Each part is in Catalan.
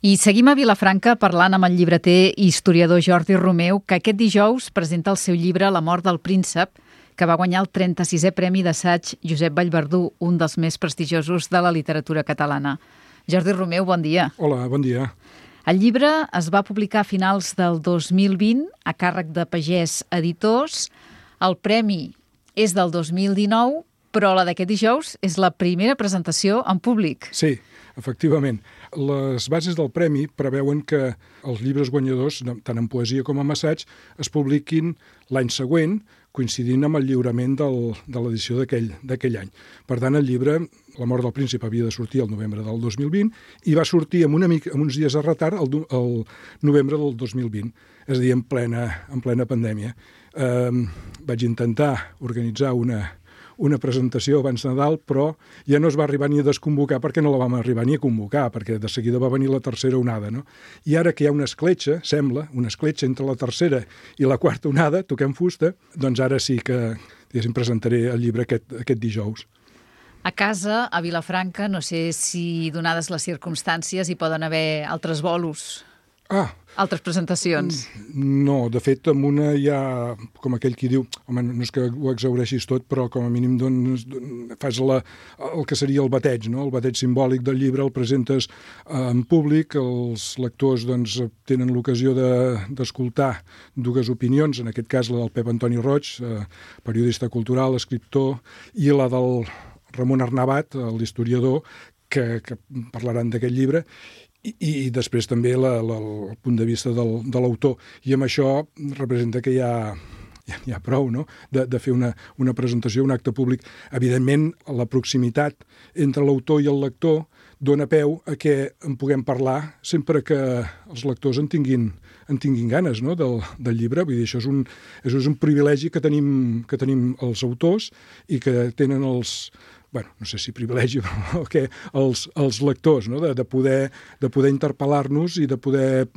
I seguim a Vilafranca parlant amb el llibreter i historiador Jordi Romeu, que aquest dijous presenta el seu llibre La mort del príncep, que va guanyar el 36è Premi d'Assaig Josep Vallverdú, un dels més prestigiosos de la literatura catalana. Jordi Romeu, bon dia. Hola, bon dia. El llibre es va publicar a finals del 2020 a càrrec de Pagès Editors. El premi és del 2019, però la d'aquest dijous és la primera presentació en públic. Sí, efectivament. Les bases del premi preveuen que els llibres guanyadors, tant en poesia com en assaig, es publiquin l'any següent, coincidint amb el lliurament de l'edició d'aquell any. Per tant, el llibre, La mort del príncep, havia de sortir el novembre del 2020 i va sortir amb uns dies de retard el novembre del 2020, és a dir, en plena pandèmia. Vaig intentar organitzar una presentació abans de Nadal, però ja no es va arribar ni a desconvocar perquè no la vam arribar ni a convocar, perquè de seguida va venir la tercera onada, no? I ara que hi ha una escletxa, sembla, una escletxa entre la tercera i la quarta onada, toquem fusta, doncs ara sí que, diguéssim, presentaré el llibre aquest dijous. A casa, a Vilafranca, no sé si, donades les circumstàncies, hi poden haver altres bolos, altres presentacions. No, de fet, amb una hi ha, com aquell qui diu, home, no és que ho exhaureixis tot, però com a mínim fas el que seria el bateig, no? El bateig simbòlic del llibre, el presentes en públic, els lectors doncs, tenen l'ocasió d'escoltar dues opinions, en aquest cas la del Pep Antoni Roig, periodista cultural, escriptor, i la del Ramon Arnabat, l'historiador, que parlaran d'aquest llibre, i després també el punt de vista de l'autor. I amb això representa que hi ha prou, no?, de fer una presentació, un acte públic. Evidentment, la proximitat entre l'autor i el lector dona peu a que en puguem parlar sempre que els lectors en tinguin ganes, no?, del llibre. Vull dir, això és un privilegi que tenim els autors i que tenen no sé si privilegi, però que els lectors, no?, de poder interpel·lar-nos i de poder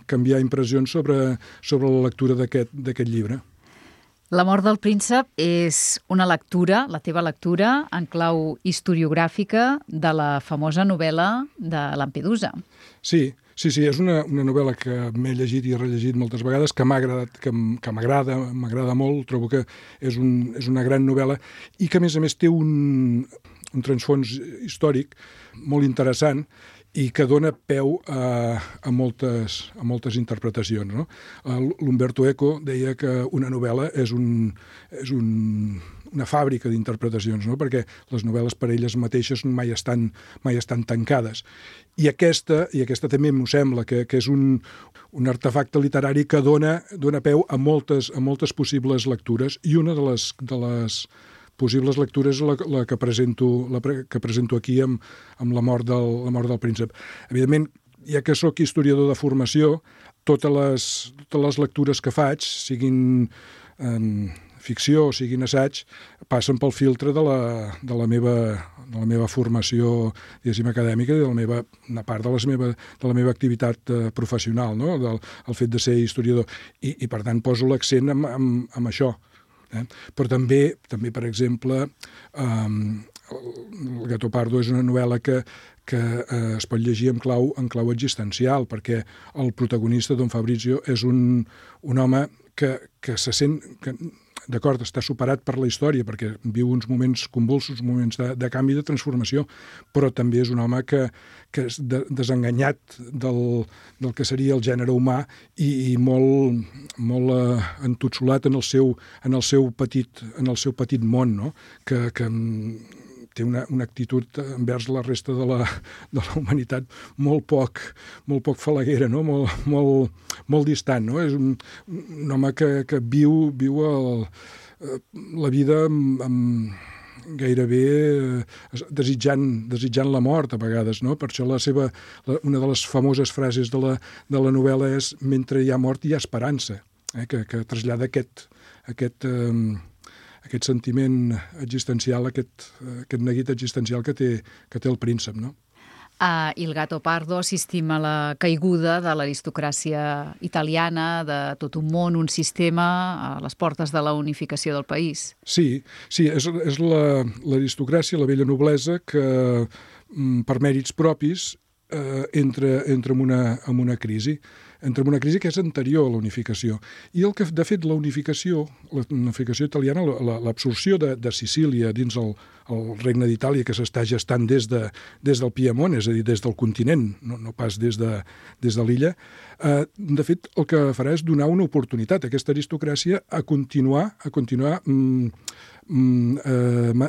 canviar impressions sobre la lectura d'aquest llibre. La mort del príncep és una lectura, la teva lectura, en clau historiogràfica de la famosa novel·la de Lampedusa. Sí, és una novel·la que m'he llegit i rellegit moltes vegades, que m'ha agradat, que m'agrada molt, trobo que és una gran novel·la i que, a més, té un transfons històric molt interessant i que dona peu a moltes interpretacions, no? L'Umberto Eco deia que una novel·la és una fàbrica d'interpretacions, no?, perquè les novel·les per elles mateixes mai estan tancades. I aquesta també m'ho sembla, que és un artefacte literari que dona peu a moltes possibles lectures, i una de les possibles lectures la que presento aquí amb la mort del príncep. Evidentment, ja que sóc historiador de formació, totes les lectures que faig, siguin ficció o siguin assaig, passen pel filtre de la meva formació, diguéssim, acadèmica i una part de la meva activitat professional, no?, el fet de ser historiador. I per tant, poso l'accent en això. Però també, per exemple, El Gato Pardo és una novel·la que es pot llegir en clau existencial, perquè el protagonista, Don Fabrizio, és un home que se sent d'acord, està superat per la història, perquè viu uns moments convulsos, moments de canvi, de transformació, però també és un home que és desenganyat del que seria el gènere humà i molt entotsolat en el seu petit món, no?, que té una actitud envers la resta de la humanitat molt poc falaguera, no?, molt distant, no? És un home que viu la vida gairebé desitjant la mort a vegades, no? Per això una de les famoses frases de la novel·la és «Mentre hi ha mort hi ha esperança», que trasllada aquest sentiment existencial, aquest neguit existencial que té el príncep, no? A Il Gato Pardo assistim a la caiguda de l'aristocràcia italiana, de tot un món, un sistema, a les portes de la unificació del país. Sí, és l'aristocràcia, la vella noblesa, que per mèrits propis entra en una crisi que és anterior a la unificació. I el que, de fet, la unificació italiana, l'absorció de Sicília dins el Regne d'Itàlia, que s'està gestant des del Piemont, és a dir, des del continent, no pas des de l'illa, de fet, el que farà és donar una oportunitat a aquesta aristocràcia a continuar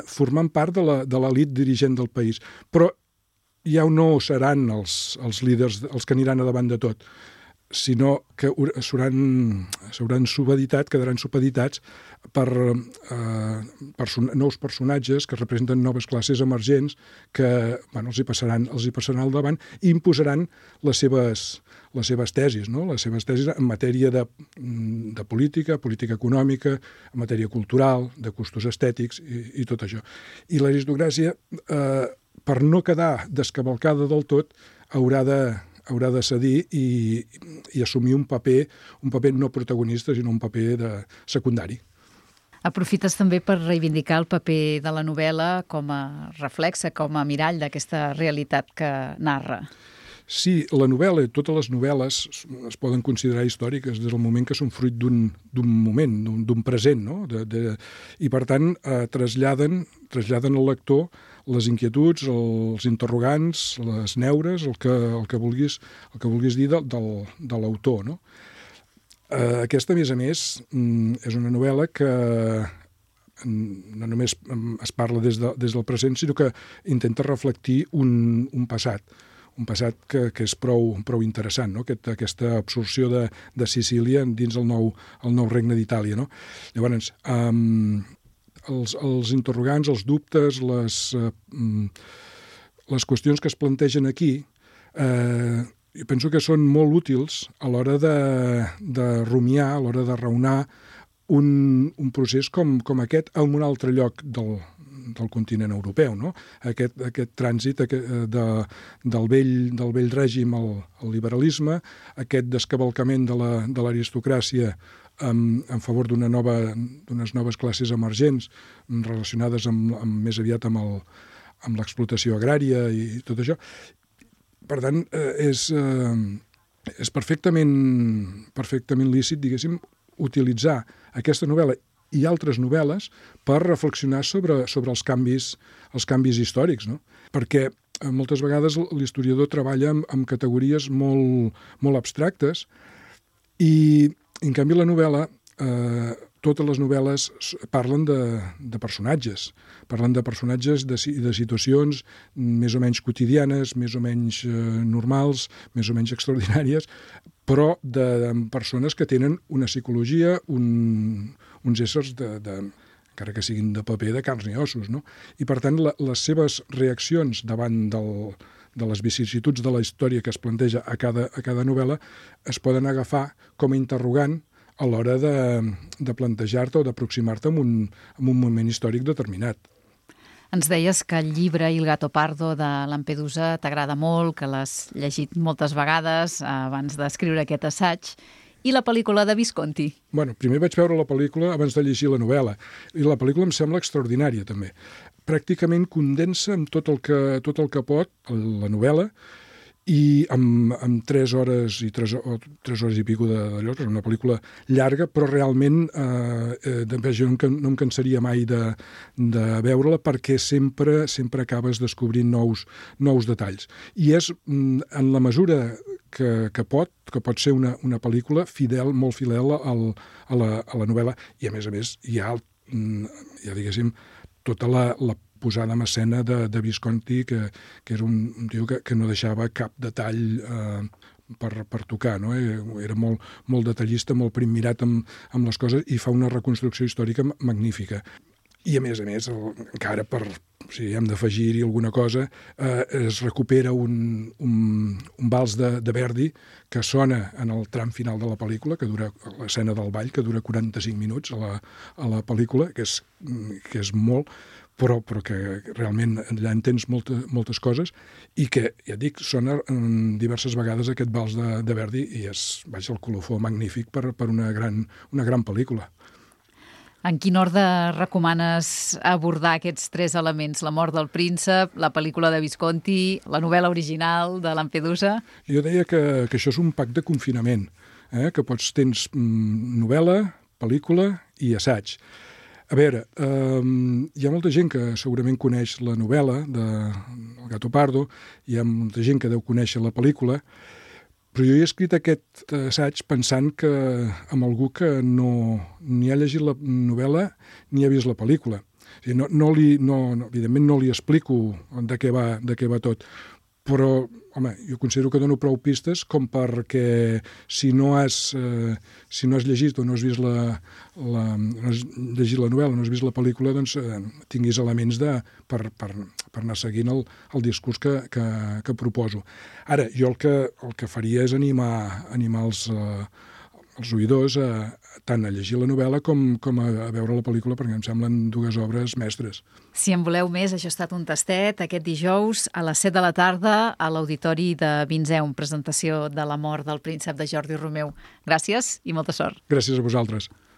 formant part de l'elit dirigent del país. Però ja no seran els líders els que aniran a davant de tot, sinó que quedaran supeditats per nous personatges que representen noves classes emergents que els hi passaran al davant i imposaran les seves tesis, no? Les seves tesis en matèria de política econòmica, en matèria cultural, de gustos estètics i tot això. I l'aristocràcia, per no quedar descavalcada del tot, haurà de cedir i assumir un paper no protagonista, sinó un paper secundari. Aprofites també per reivindicar el paper de la novel·la com a reflexe, com a mirall d'aquesta realitat que narra. Sí, la novel·la, totes les novel·les es poden considerar històriques des del moment que són fruit d'un moment, d'un present, no? I per tant traslladen al lector les inquietuds, els interrogants, les neures, el que vulguis dir de l'autor, no? Aquesta, a més, és una novel·la que no només es parla des del present, sinó que intenta reflectir un passat que és prou interessant, no? Aquesta absorció de Sicília dins el nou regne d'Itàlia, no? Llavors, els interrogants, els dubtes, les qüestions que es plantegen aquí, jo penso que són molt útils a l'hora de rumiar, a l'hora de raonar un procés com aquest en un altre lloc del continent europeu, no? Aquest trànsit del vell règim al liberalisme, aquest descavalcament de l'aristocràcia en favor d'unes noves classes emergents relacionades més aviat amb l'explotació agrària i tot això. Per tant, és perfectament lícit, diguéssim, utilitzar aquesta novel·la i altres novel·les per reflexionar sobre els canvis històrics, no? Perquè moltes vegades l'historiador treballa amb categories molt abstractes i, en canvi, la novel·la, totes les novel·les parlen de personatges. Parlen de personatges de situacions més o menys quotidianes, més o menys normals, més o menys extraordinàries, però de persones que tenen una psicologia, uns éssers, encara que siguin de paper, de carns i ossos, no? I, per tant, les seves reaccions davant de les vicissituds de la història que es planteja a cada novel·la es poden agafar com a interrogant a l'hora de plantejar-te o d'aproximar-te a un moment històric determinat. Ens deies que el llibre Il gatto pardo de Lampedusa t'agrada molt, que l'has llegit moltes vegades abans d'escriure aquest assaig. I la pel·lícula de Visconti? Bueno, primer vaig veure la pel·lícula abans de llegir la novel·la. I la pel·lícula em sembla extraordinària, també. Pràcticament condensa amb tot el que pot la novel·la i amb 3 hores i 3 hores i pico d'allò, que és una pel·lícula llarga, però realment jo no em cansaria mai de veure-la perquè sempre acabes descobrint nous detalls. I és, en la mesura que pot ser una pel·lícula molt fidel a la novel·la, i a més hi ha diguéssim, tota la posada en escena de Visconti, que era un tio que no deixava cap detall per tocar, no? Era molt detallista, molt primmirat amb les coses i fa una reconstrucció històrica magnífica. I, a més, encara si hem d'afegir-hi alguna cosa, es recupera un vals de Verdi que sona en el tram final de la pel·lícula, que dura l'escena del ball, que dura 45 minuts a la pel·lícula, que és molt, però que realment allà entens moltes coses i que, ja dic, sona diverses vegades aquest vals de Verdi i és, el colofó magnífic per una gran pel·lícula. En quin ordre recomanes abordar aquests 3 elements? La mort del príncep, la pel·lícula de Visconti, la novel·la original de Lampedusa? Jo deia que això és un pack de confinament, que tens novel·la, pel·lícula i assaig. A veure, hi ha molta gent que segurament coneix la novel·la de El Gato Pardo, hi ha molta gent que deu conèixer la pel·lícula, però jo he escrit aquest assaig pensant que amb algú que ni ha llegit la novel·la ni ha vist la pel·lícula. O sigui, evidentment no li explico de què va tot, però, home, jo considero que dono prou pistes com perquè si no has llegit o no has vist no has llegit la novel·la, no has vist la pel·lícula, doncs tinguis elements per anar seguint el discurs que proposo. Ara, jo el que faria és animar els oïdors tant a llegir la novel·la com a veure la pel·lícula, perquè em semblen 2 obres mestres. Si en voleu més, això ha estat un tastet aquest dijous a les 7 de la tarda a l'Auditori de Vinzeum, presentació de La mort del príncep de Jordi Romeu. Gràcies i molta sort. Gràcies a vosaltres.